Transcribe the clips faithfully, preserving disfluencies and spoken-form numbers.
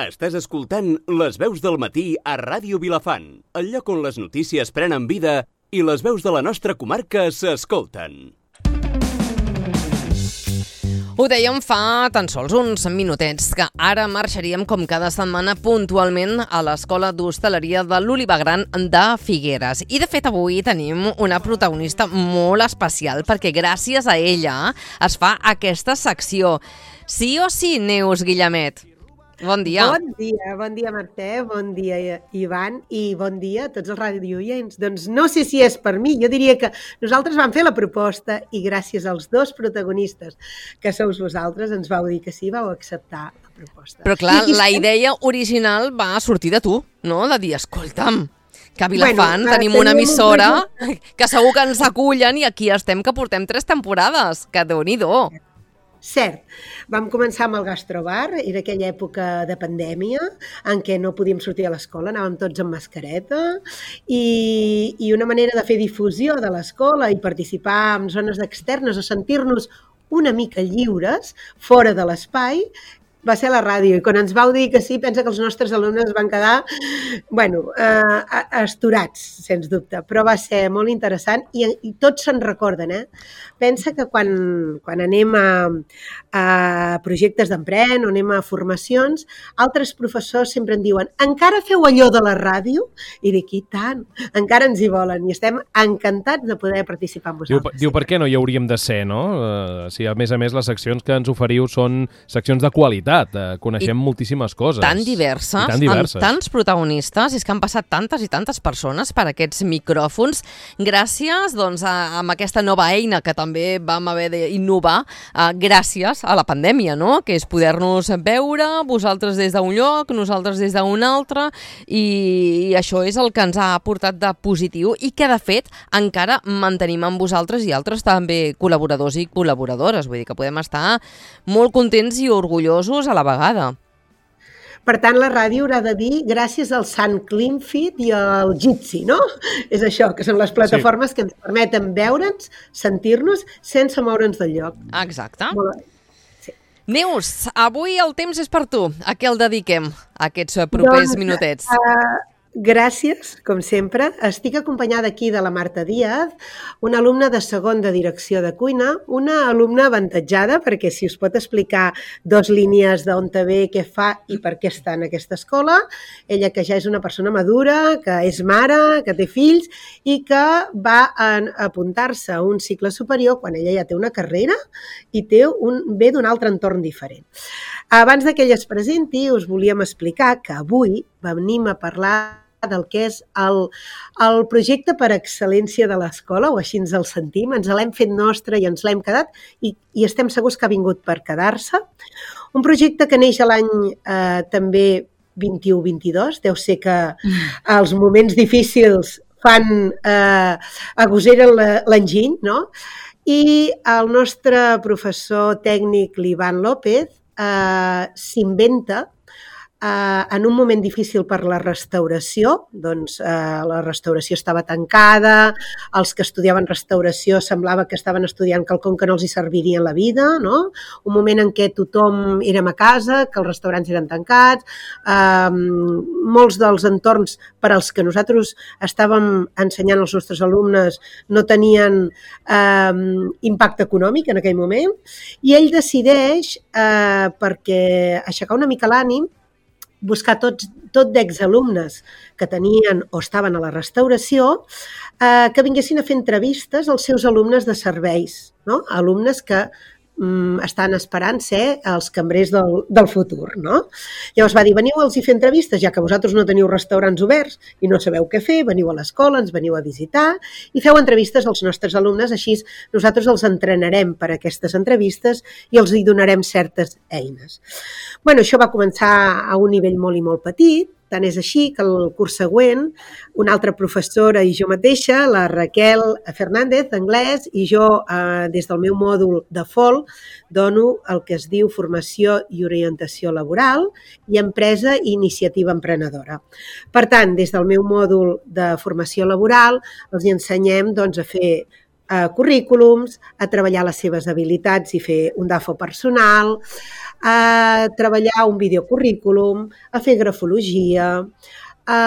Estàs escoltant Les veus del matí a Ràdio Vilafant, el lloc on les notícies prenen vida i les veus de la nostra comarca s'escolten. Ho dèiem fa tan sols uns minutets, que ara marxaríem com cada setmana puntualment a l'Escola d'Hostaleria de l'Olivar Gran de Figueres. I de fet avui tenim una protagonista molt especial perquè gràcies a ella es fa aquesta secció. Sí o sí, Neus Guillemet? Bon dia. Bon dia, bon dia Mercè, bon dia Ivan i bon dia a tots els radioients. Doncs no sé si és per mi, jo diria que nosaltres vam fer la proposta i gràcies als dos protagonistes que sou vosaltres ens vau dir que sí, vau acceptar la proposta. Però clar, la idea original va sortir de tu, no? De dir, escolta'm, que a Vilafant bueno, tenim una emissora un... que segur que ens acullen i aquí estem que portem tres temporades, que Déu-n'hi-do. Cert, vam començar amb el gastrobar, era aquella època de pandèmia en què no podíem sortir a l'escola, anàvem tots amb mascareta i, i una manera de fer difusió de l'escola i participar en zones externes o sentir-nos una mica lliures fora de l'espai va ser a la ràdio, i quan ens vau dir que sí, pensa que els nostres alumnes van quedar, bueno, eh, astorats, sens dubte, però va ser molt interessant i, i tots se'n recorden, eh? Pensa que quan, quan anem a, a projectes d'empren o anem a formacions, altres professors sempre en diuen, encara feu allò de la ràdio? I dic, i tant, encara ens hi volen i estem encantats de poder participar amb vosaltres. Diu, diu per què no hi hauríem de ser, no? Uh, si a més a més les seccions que ens oferiu són seccions de qualitat, Uh, coneixem I moltíssimes coses. Tan diverses, tan diverses, amb tants protagonistes, és que han passat tantes i tantes persones per aquests micròfons, gràcies doncs, a, a aquesta nova eina que també vam haver d'innovar uh, gràcies a la pandèmia, no? Que és poder-nos veure, vosaltres des d'un lloc, nosaltres des d'un altre, i, i això és el que ens ha portat de positiu i que, de fet, encara mantenim amb vosaltres i altres també col·laboradors i col·laboradores. Vull dir que podem estar molt contents i orgullosos a la vegada. Per tant, la ràdio haurà de dir gràcies al Sant Cleanfit i al Jitsi, no? És això, que són les plataformes sí. que ens permeten veure'ns, sentir-nos, sense moure'ns del lloc. Exacte. Sí. Neus, avui el temps és per tu. A què el dediquem, aquests propers doncs, minutets? Uh, gràcies, com sempre. Estic acompanyada aquí de la Marta Díaz, una alumna de segon de direcció de cuina, una alumna avantatjada perquè si us pot explicar dos línies d'on te ve, què fa i per què està en aquesta escola. Ella que ja és una persona madura, que és mare, que té fills i que va a apuntar-se a un cicle superior quan ella ja té una carrera i té un, ve d'un altre entorn diferent. Abans que ella es presenti, us volíem explicar que avui venim a parlar del que és el, el projecte per excel·lència de l'escola, o així ens el sentim, ens l'hem fet nostre i ens l'hem quedat i, i estem segurs que ha vingut per quedar-se. Un projecte que neix a l'any eh, també vint-i-u vint-i-dos, deu ser que els moments difícils fan eh, agoseren l'enginy, no? I el nostre professor tècnic, l'Ivan López, eh, s'inventa Uh, en un moment difícil per la restauració, doncs uh, la restauració estava tancada, els que estudiaven restauració semblava que estaven estudiant quelcom que no els hi serviria en la vida, no? Un moment en què tothom érem a casa, que els restaurants eren tancats, uh, molts dels entorns per als que nosaltres estàvem ensenyant als nostres alumnes no tenien uh, impacte econòmic en aquell moment, i ell decideix, uh, perquè aixecar una mica l'ànim, buscar tots, tot d'exalumnes que tenien o estaven a la restauració eh, que vinguessin a fer entrevistes als seus alumnes de serveis, no? Alumnes que mm, estan esperant ser els cambrers del, del futur, no? Llavors va dir, veniu a fer entrevistes, ja que vosaltres no teniu restaurants oberts i no sabeu què fer, veniu a l'escola, ens veniu a visitar i feu entrevistes als nostres alumnes, així nosaltres els entrenarem per a aquestes entrevistes i els hi donarem certes eines. Bueno, això va començar a un nivell molt i molt petit, tant és així que el curs següent una altra professora i jo mateixa, la Raquel Fernández, d'anglès, i jo eh, des del meu mòdul de F O L dono el que es diu formació i orientació laboral i empresa i iniciativa emprenedora. Per tant, des del meu mòdul de formació laboral els ensenyem doncs, a fer uh, currículums, a treballar les seves habilitats i fer un D A F O personal, a treballar un videocurrículum, a fer grafologia, a,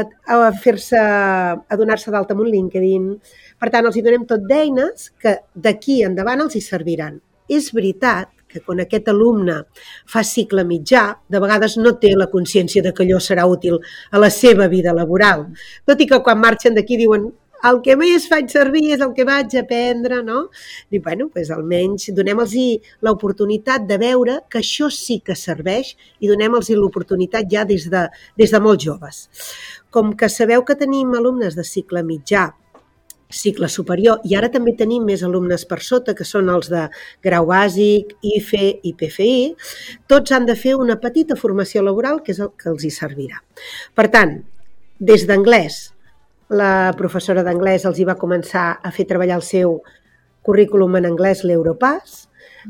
a fer-se, a donar-se d'alta amb un LinkedIn. Per tant, els hi donem tot d'eines que d'aquí endavant els hi serviran. És veritat que quan aquest alumne fa cicle mitjà, de vegades no té la consciència de que allò serà útil a la seva vida laboral. Tot i que quan marxen d'aquí diuen el que més faig servir és el que vaig aprendre, no? Dic, bueno, doncs almenys donem-los l'oportunitat de veure que això sí que serveix i donem-los l'oportunitat ja des de, des de molt joves. Com que sabeu que tenim alumnes de cicle mitjà, cicle superior, i ara també tenim més alumnes per sota, que són els de grau bàsic, I F E i P F I, tots han de fer una petita formació laboral que és el que els hi servirà. Per tant, des d'anglès, la professora d'anglès els hi va començar a fer treballar el seu currículum en anglès, l'Europass,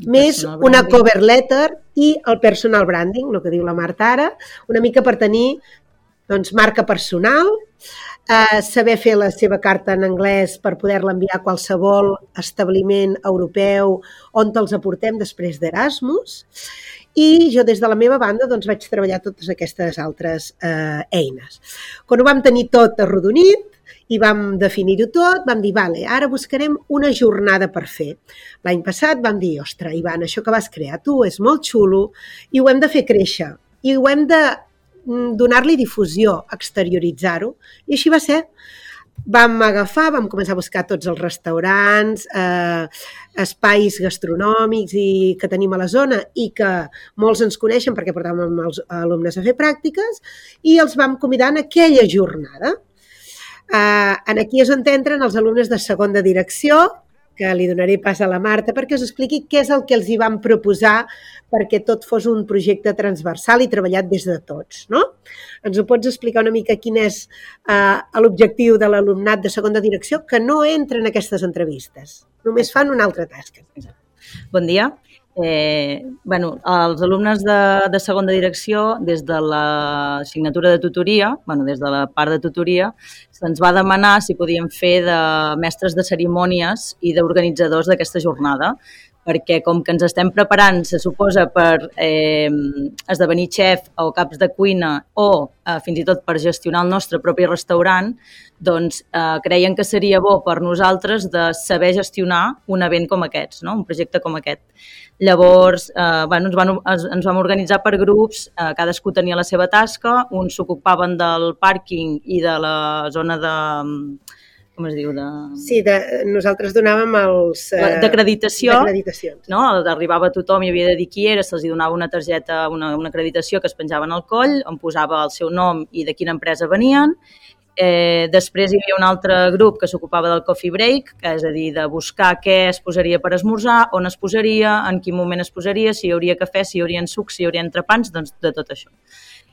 més una cover letter i el personal branding, el que diu la Marta ara, una mica per tenir doncs, marca personal, eh, saber fer la seva carta en anglès per poder-la enviar a qualsevol establiment europeu on te'ls aportem després d'Erasmus. I jo des de la meva banda doncs, vaig treballar totes aquestes altres eh, eines. Quan ho vam tenir tot arrodonit i vam definir-ho tot, vam dir, vale, ara buscarem una jornada per fer. L'any passat vam dir, ostres, Ivan, això que vas crear tu és molt xulo i ho hem de fer créixer i ho hem de donar-li difusió, exterioritzar-ho, i així va ser. Vam agafar, vam començar a buscar tots els restaurants, eh, espais gastronòmics i que tenim a la zona i que molts ens coneixen perquè portàvem els alumnes a fer pràctiques i els vam convidar en aquella jornada. Eh, en aquí és on entren els alumnes de segon de direcció, que li donaré pas a la Marta perquè us expliqui què és el que els hi vam proposar perquè tot fos un projecte transversal i treballat des de tots, no? Ens ho pots explicar una mica quin és eh, l'objectiu de l'alumnat de segona direcció que no entra en aquestes entrevistes, només fan una altra tasca. Bon dia. Eh, bueno, els alumnes de, de segona direcció, des de l'assignatura de tutoria, bueno, des de la part de tutoria, se'ns va demanar si podíem fer de mestres de cerimònies i d'organitzadors d'aquesta jornada, perquè com que ens estem preparant, se suposa, per eh, esdevenir xef o caps de cuina o eh, fins i tot per gestionar el nostre propi restaurant, doncs eh, creien que seria bo per nosaltres de saber gestionar un event com aquests, no? Un projecte com aquest. Llavors, eh, bueno, ens, van, ens vam organitzar per grups, eh, cadascú tenia la seva tasca, uns s'ocupaven del pàrquing i de la zona de... com es diu? De... Sí, de, nosaltres donàvem els... Eh, d'acreditació, no? Arribava tothom i havia de dir qui era, se'ls donava una targeta, una, una acreditació que es penjaven al coll, on posava el seu nom i de quina empresa venien. Eh, després hi havia un altre grup que s'ocupava del coffee break, que és a dir, de buscar què es posaria per esmorzar, on es posaria, en quin moment es posaria, si hi hauria cafè, si hi haurien sucs, si hi haurien entrepans, doncs de tot això.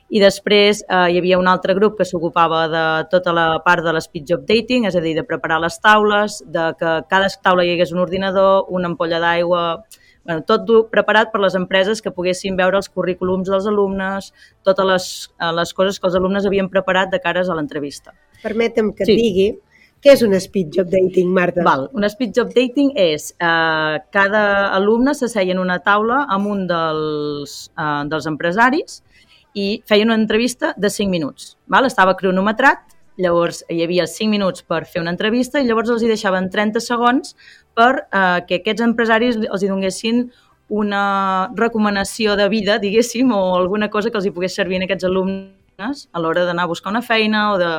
I després eh, hi havia un altre grup que s'ocupava de tota la part de l'speed job dating, és a dir, de preparar les taules, de que a cada taula hi hagués un ordinador, una ampolla d'aigua, bueno, tot preparat per les empreses que poguessin veure els currículums dels alumnes, totes les, les coses que els alumnes havien preparat de cares a l'entrevista. Permetem que et sí. digui què és un speed job dating, Marta. Val. Un speed job dating és eh, cada alumne s'asseia en una taula amb un dels, eh, dels empresaris i feia una entrevista de cinc minuts. Val? Estava cronometrat, llavors hi havia cinc minuts per fer una entrevista i llavors els hi deixaven trenta segons per eh, que aquests empresaris els hi donguessin una recomanació de vida, diguéssim, o alguna cosa que els hi pogués servir a aquests alumnes a l'hora d'anar a buscar una feina o de,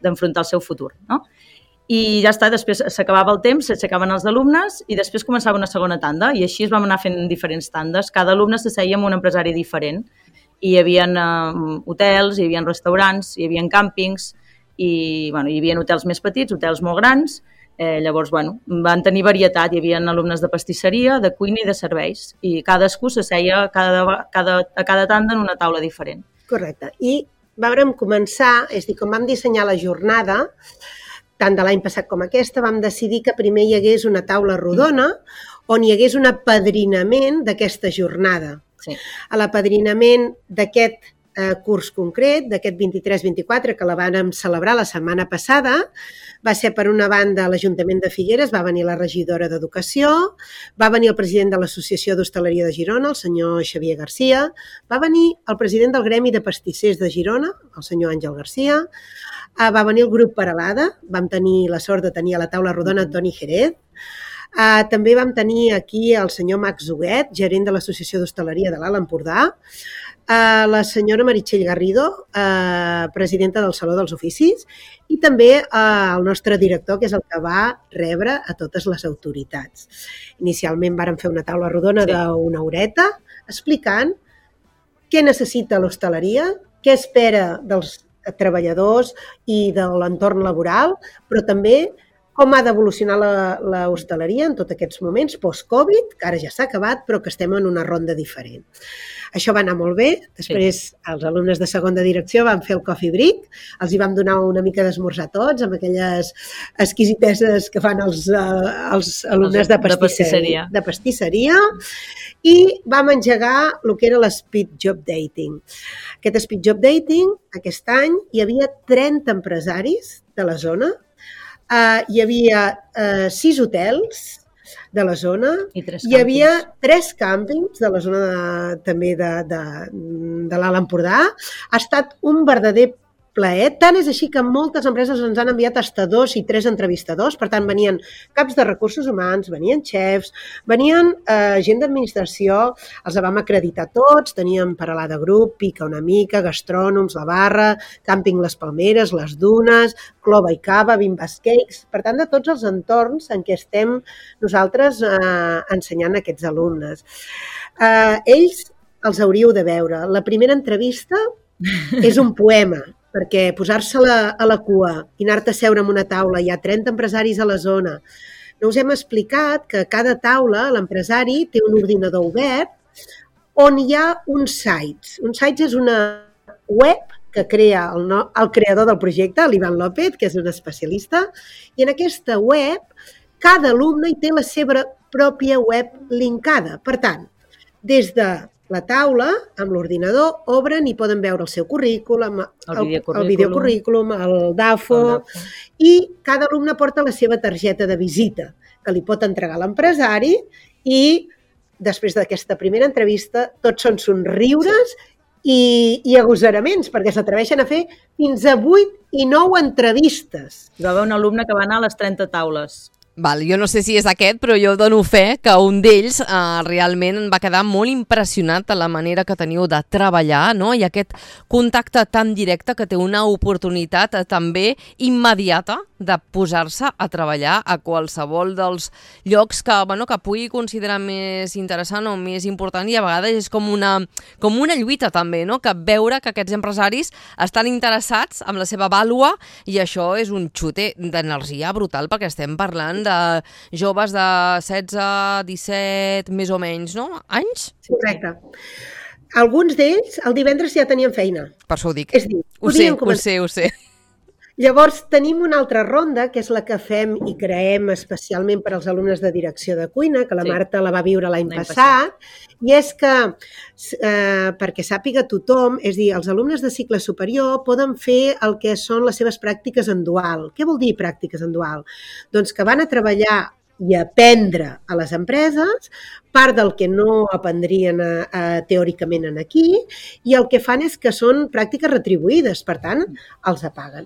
d'enfrontar el seu futur, no? I ja està, després s'acabava el temps, s'aixecaven els alumnes i després començava una segona tanda i així es vam anar fent diferents tandes. Cada alumne s'asseia amb un empresari diferent. I hi havia uh, hotels, hi havia restaurants, hi havia càmpings i bueno, hi havia hotels més petits, hotels molt grans. Eh, llavors, bueno, van tenir varietat. Hi havia alumnes de pastisseria, de cuina i de serveis. I cadascú s'asseia cada, cada, a cada tanda en una taula diferent. Correcte. I vam començar, és a dir, com vam dissenyar la jornada, tant de l'any passat com aquesta, vam decidir que primer hi hagués una taula rodona on hi hagués un apadrinament d'aquesta jornada. Sí. A l'apadrinament d'aquest eh, curs concret d'aquest vint-i-tres vint-i-quatre que la vam celebrar la setmana passada. Va ser, per una banda, l'Ajuntament de Figueres, va venir la regidora d'Educació, va venir el president de l'Associació d'Hostaleria de Girona, el senyor Xavier Garcia, va venir el president del Gremi de Pastissers de Girona, el senyor Àngel Garcia, eh, va venir el grup Peralada, vam tenir la sort de tenir a la taula rodona Toni Jerez, Uh, també vam tenir aquí el senyor Max Huguet, gerent de l'Associació d'Hostaleria de l'Alt Empordà, uh, la senyora Meritxell Garrido, uh, presidenta del Saló dels Oficis, i també uh, el nostre director, que és el que va rebre a totes les autoritats. Inicialment vàrem fer una taula rodona sí. d'una horeta explicant què necessita l'hostaleria, què espera dels treballadors i de l'entorn laboral, però també com ha d'evolucionar l'hostaleria en tots aquests moments post-Covid, que ara ja s'ha acabat, però que estem en una ronda diferent. Això va anar molt bé. Després, sí. els alumnes de segon de direcció van fer el coffee break, els hi vam donar una mica d'esmorzar tots, amb aquelles exquisiteses que fan els, uh, els alumnes de pastisseria, de pastisseria, i vam engegar el que era l'Speed Job Dating. Aquest Speed Job Dating, aquest any, hi havia trenta empresaris de la zona. Uh, hi havia uh, sis hotels de la zona, I tres hi havia tres càmpings de la zona de, també de, de, de l'Alt Empordà. Ha estat un verdader plaer. Tant és així que moltes empreses ens han enviat fins dos i tres entrevistadors, per tant venien caps de recursos humans, venien xefs, venien eh, gent d'administració, els vam acreditar tots, teníem Peralada Grup, Pica una mica, gastrònoms, la Barra, Càmping Les Palmeres, Les Dunes, Clova i Cava, Bimbas Cakes, per tant de tots els entorns en què estem nosaltres eh, ensenyant a aquests alumnes. Eh, ells els hauríeu de veure. La primera entrevista és un poema, perquè posar-se a la cua i anar-te a seure en una taula, hi ha trenta empresaris a la zona. No us hem explicat que a cada taula l'empresari té un ordinador obert on hi ha uns sites. Un sites és una web que crea el, no, el creador del projecte, l'Ivan López, que és un especialista, i en aquesta web cada alumne hi té la seva pròpia web linkada. Per tant, des de la taula, amb l'ordinador, obren i poden veure el seu currículum, el, el videocurrículum, el DAFO, el DAFO, i cada alumne porta la seva targeta de visita, que li pot entregar l'empresari, i després d'aquesta primera entrevista tots són somriures i, i agosaraments, perquè s'atreveixen a fer fins a vuit i nou entrevistes. Hi va haver un alumne que va anar a les trenta taules. Val, jo no sé si és aquest, però jo dono fe que un d'ells eh, realment va quedar molt impressionat de la manera que teniu de treballar, no? I aquest contacte tan directe que té una oportunitat eh, també immediata de posar-se a treballar a qualsevol dels llocs que, bueno, que pugui considerar més interessant o més important, i a vegades és com una, com una lluita també, no? Que veure que aquests empresaris estan interessats en la seva vàlua, i això és un xute d'energia brutal, perquè estem parlant de joves de setze, disset, més o menys, no? Anys? Correcte. Alguns d'ells el divendres ja tenien feina. Per això ho dic. És dir, ho sé, ho sé, ho sé. Llavors, tenim una altra ronda, que és la que fem i creem especialment per als alumnes de direcció de cuina, que la sí. Marta la va viure l'any passat, passat, i és que, eh, perquè sàpiga tothom, és dir, els alumnes de cicle superior poden fer el que són les seves pràctiques en dual. Què vol dir pràctiques en dual? Doncs que van a treballar i aprendre a les empreses, part del que no aprendrien a, a, teòricament en aquí, i el que fan és que són pràctiques retribuïdes, per tant, els apaguen.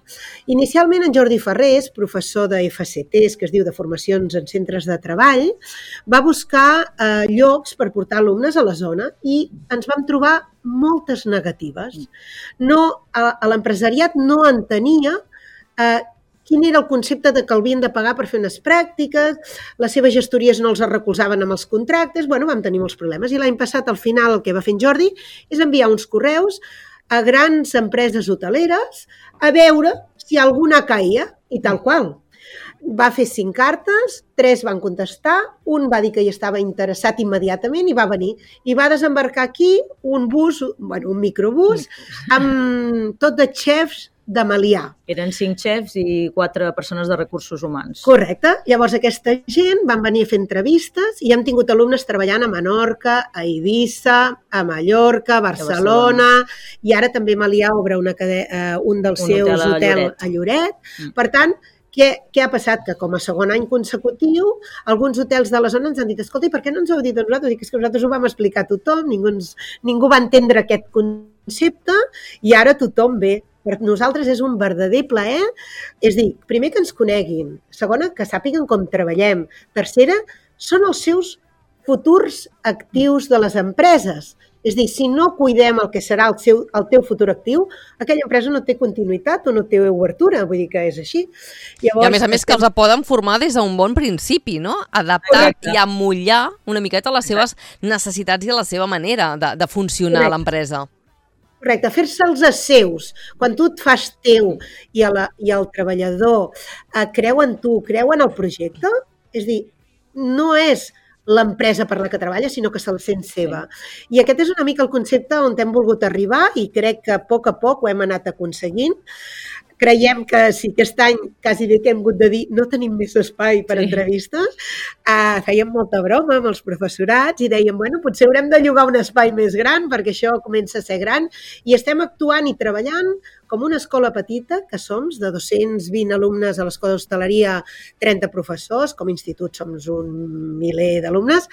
Inicialment, en Jordi Ferrés, professor de F C Ts, que es diu de formacions en centres de treball, va buscar eh, llocs per portar alumnes a la zona i ens vam trobar moltes negatives. No, a, a l'empresariat no entenia eh, quin era el concepte de que el havien de pagar per fer unes pràctiques, les seves gestories no els recolzaven amb els contractes, bueno, vam tenir molts problemes. I l'any passat, al final, el que va fer en Jordi és enviar uns correus a grans empreses hoteleres a veure si alguna caia, i tal qual. Va fer cinc cartes, tres van contestar, un va dir que hi estava interessat immediatament i va venir. I va desembarcar aquí un bus, bueno, un microbús, amb tot de xefs de Melià. Eren cinc xefs i quatre persones de recursos humans. Correcte. Llavors aquesta gent van venir a fer entrevistes i hem tingut alumnes treballant a Menorca, a Eivissa, a Mallorca, a Barcelona, Barcelona. I ara també Melià obre una cade... uh, un dels un seus hotels hotel a Lloret. A Lloret. Mm. Per tant, Què, què ha passat? Que com a segon any consecutiu, alguns hotels de la zona ens han dit escolta, i per què no ens ho heu dit a nosaltres? Dic, és que nosaltres ho vam explicar a tothom, ningú, ens, ningú va entendre aquest concepte i ara tothom ve. Per nosaltres és un verdader plaer, és dir, primer que ens coneguin, segona, que sàpiguen com treballem, tercera, són els seus futurs actius de les empreses. És dir, si no cuidem el que serà el, seu, el teu futur actiu, aquella empresa no té continuïtat o no té obertura, vull dir que és així. Llavors, I a més a més que els poden formar des d'un bon principi, no? Adaptar Correcte. I amollar una miqueta les seves necessitats i a la seva manera de, de funcionar Correcte. A l'empresa. Correcte, fer-se'ls a seus. Quan tu et fas teu i, la, i el treballador eh, creu en tu, creu en el projecte, és dir, no és l'empresa per la que treballa, sinó que se'l sent seva. I aquest és una mica el concepte on hem volgut arribar i crec que a poc a poc ho hem anat aconseguint. Creiem que si aquest any quasi bé que hem hagut de dir no tenim més espai per sí. entrevistes, uh, fèiem molta broma amb els professorats i dèiem, bueno, potser haurem de llogar un espai més gran perquè això comença a ser gran i estem actuant i treballant com una escola petita, que som de dos-cents vint alumnes a l'escola d'hostaleria, trenta professors, com a institut som un miler d'alumnes,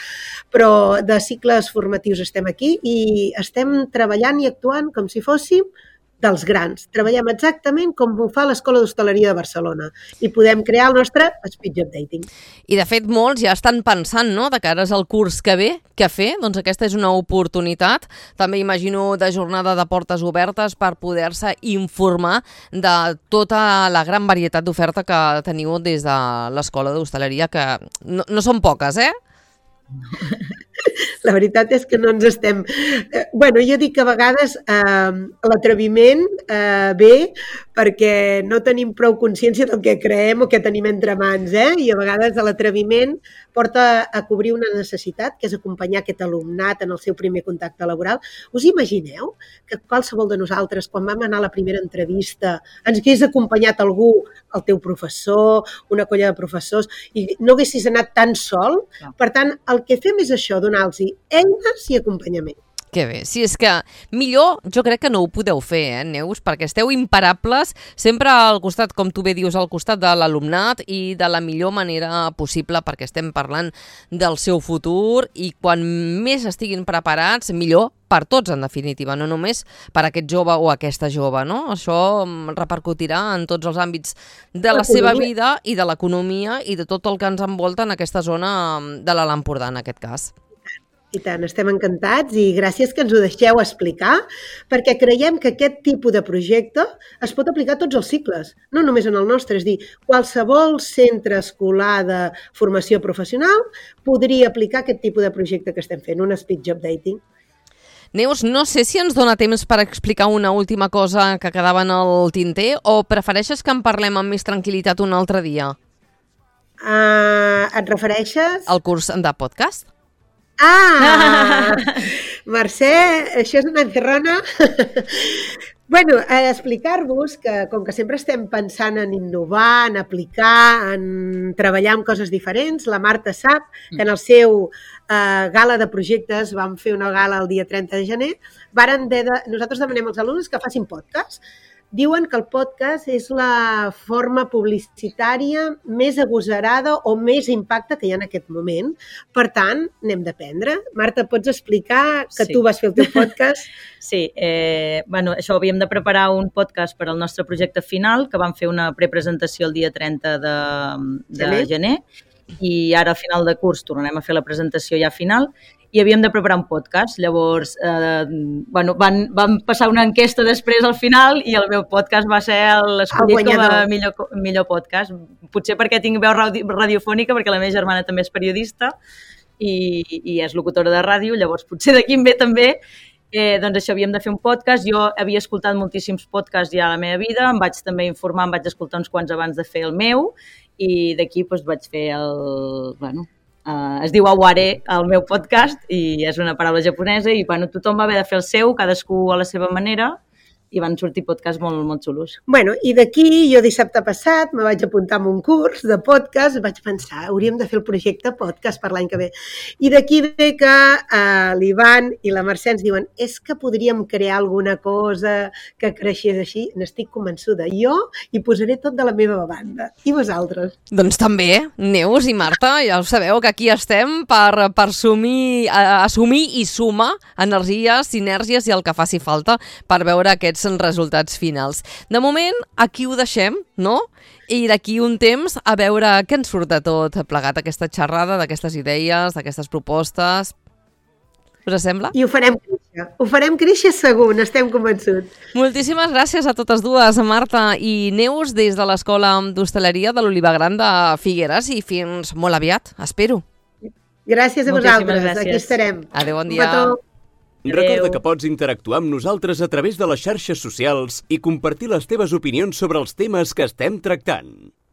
però de cicles formatius estem aquí i estem treballant i actuant com si fóssim dels grans. Treballem exactament com ho fa l'Escola d'Hostaleria de Barcelona i podem crear el nostre speed job dating. I de fet molts ja estan pensant, no?, de cara al curs que ve, què fer? Doncs aquesta és una oportunitat. També imagino de jornada de portes obertes per poder-se informar de tota la gran varietat d'oferta que teniu des de l'Escola d'Hostaleria, que no, no són poques, eh? La veritat és que no ens estem... Eh, bueno, jo dic que a vegades eh, l'atreviment eh, ve perquè no tenim prou consciència del que creem o que tenim entre mans, eh? I a vegades l'atreviment porta a cobrir una necessitat, que és acompanyar aquest alumnat en el seu primer contacte laboral. Us imagineu que qualsevol de nosaltres, quan vam anar a la primera entrevista, ens hagués acompanyat algú, el teu professor, una colla de professors, i no haguessis anat tan sol? Per tant, el que fem és això, donar-los eines i acompanyament. Que bé, si és que millor jo crec que no ho podeu fer, eh, Neus, perquè esteu imparables, sempre al costat, com tu bé dius, al costat de l'alumnat i de la millor manera possible, perquè estem parlant del seu futur i quan més estiguin preparats, millor per tots, en definitiva, no només per aquest jove o aquesta jove, no? Això repercutirà en tots els àmbits de la seva vida i de l'economia i de tot el que ens envolta en aquesta zona de l'Alt Empordà, en aquest cas. I tant, estem encantats i gràcies que ens ho deixeu explicar, perquè creiem que aquest tipus de projecte es pot aplicar a tots els cicles, no només en el nostre, és dir, qualsevol centre escolar de formació professional podria aplicar aquest tipus de projecte que estem fent, un speed job dating. Neus, no sé si ens dona temps per explicar una última cosa que quedava en el tinter o prefereixes que en parlem amb més tranquil·litat un altre dia? Uh, et refereixes? Al curs de podcast. Ah! Mercè, això és una encerrona. Bueno, eh, explicar-vos que, com que sempre estem pensant en innovar, en aplicar, en treballar amb coses diferents, la Marta sap que en el seu eh, gala de projectes, vam fer una gala el dia trenta de gener, varen de, de, nosaltres demanem als alumnes que facin podcast. Diuen que el podcast és la forma publicitària més agosarada o més impacte que hi ha en aquest moment. Per tant, n'hem d'aprendre. Marta, pots explicar que sí. Tu vas fer el teu podcast? Sí, eh, bueno, això havíem de preparar un podcast per al nostre projecte final, que vam fer una prepresentació el dia trenta de, de gener. gener, i ara a final de curs tornarem a fer la presentació ja final, i havíem de preparar un podcast. Llavors, eh, bueno, van, van passar una enquesta després al final i el meu podcast va ser l'escollit com a millor, millor podcast. Potser perquè tinc veu radi, radiofònica, perquè la meva germana també és periodista i, i és locutora de ràdio, llavors potser d'aquí em ve també. Eh, doncs això, havíem de fer un podcast. Jo havia escoltat moltíssims podcasts ja a la meva vida, em vaig també informar, em vaig escoltar uns quants abans de fer el meu i d'aquí doncs, vaig fer el... Bueno, Uh, es diu Aware, el meu podcast, i és una paraula japonesa i bueno, tothom va haver de fer el seu, cadascú a la seva manera, i van sortir podcasts molt, molt xulos. Bueno, i d'aquí, jo dissabte passat me vaig apuntar a un curs de podcast, vaig pensar, hauríem de fer el projecte podcast per l'any que ve. I d'aquí ve que eh, l'Ivan i la Mercè ens diuen és que podríem crear alguna cosa que creixés així. N'estic convençuda. Jo hi posaré tot de la meva banda. I vosaltres? Doncs també, Neus i Marta, ja ho sabeu que aquí estem per, per assumir, assumir i sumar energies, sinergies i el que faci falta per veure aquests resultats finals. De moment, aquí ho deixem, no? I d'aquí un temps a veure què ens surt de tot plegat, aquesta xerrada, d'aquestes idees, d'aquestes propostes. Us sembla? I ho farem créixer. Ho farem créixer segur, n'estem convençuts. Moltíssimes gràcies a totes dues, Marta i Neus, des de l'Escola d'Hostaleria de l'Oliva Gran de Figueres, i fins molt aviat, espero. Gràcies a Moltíssimes vosaltres, gràcies. aquí estarem. Adéu, bon Un dia. petó. Recorda que pots interactuar amb nosaltres a través de les xarxes socials i compartir les teves opinions sobre els temes que estem tractant.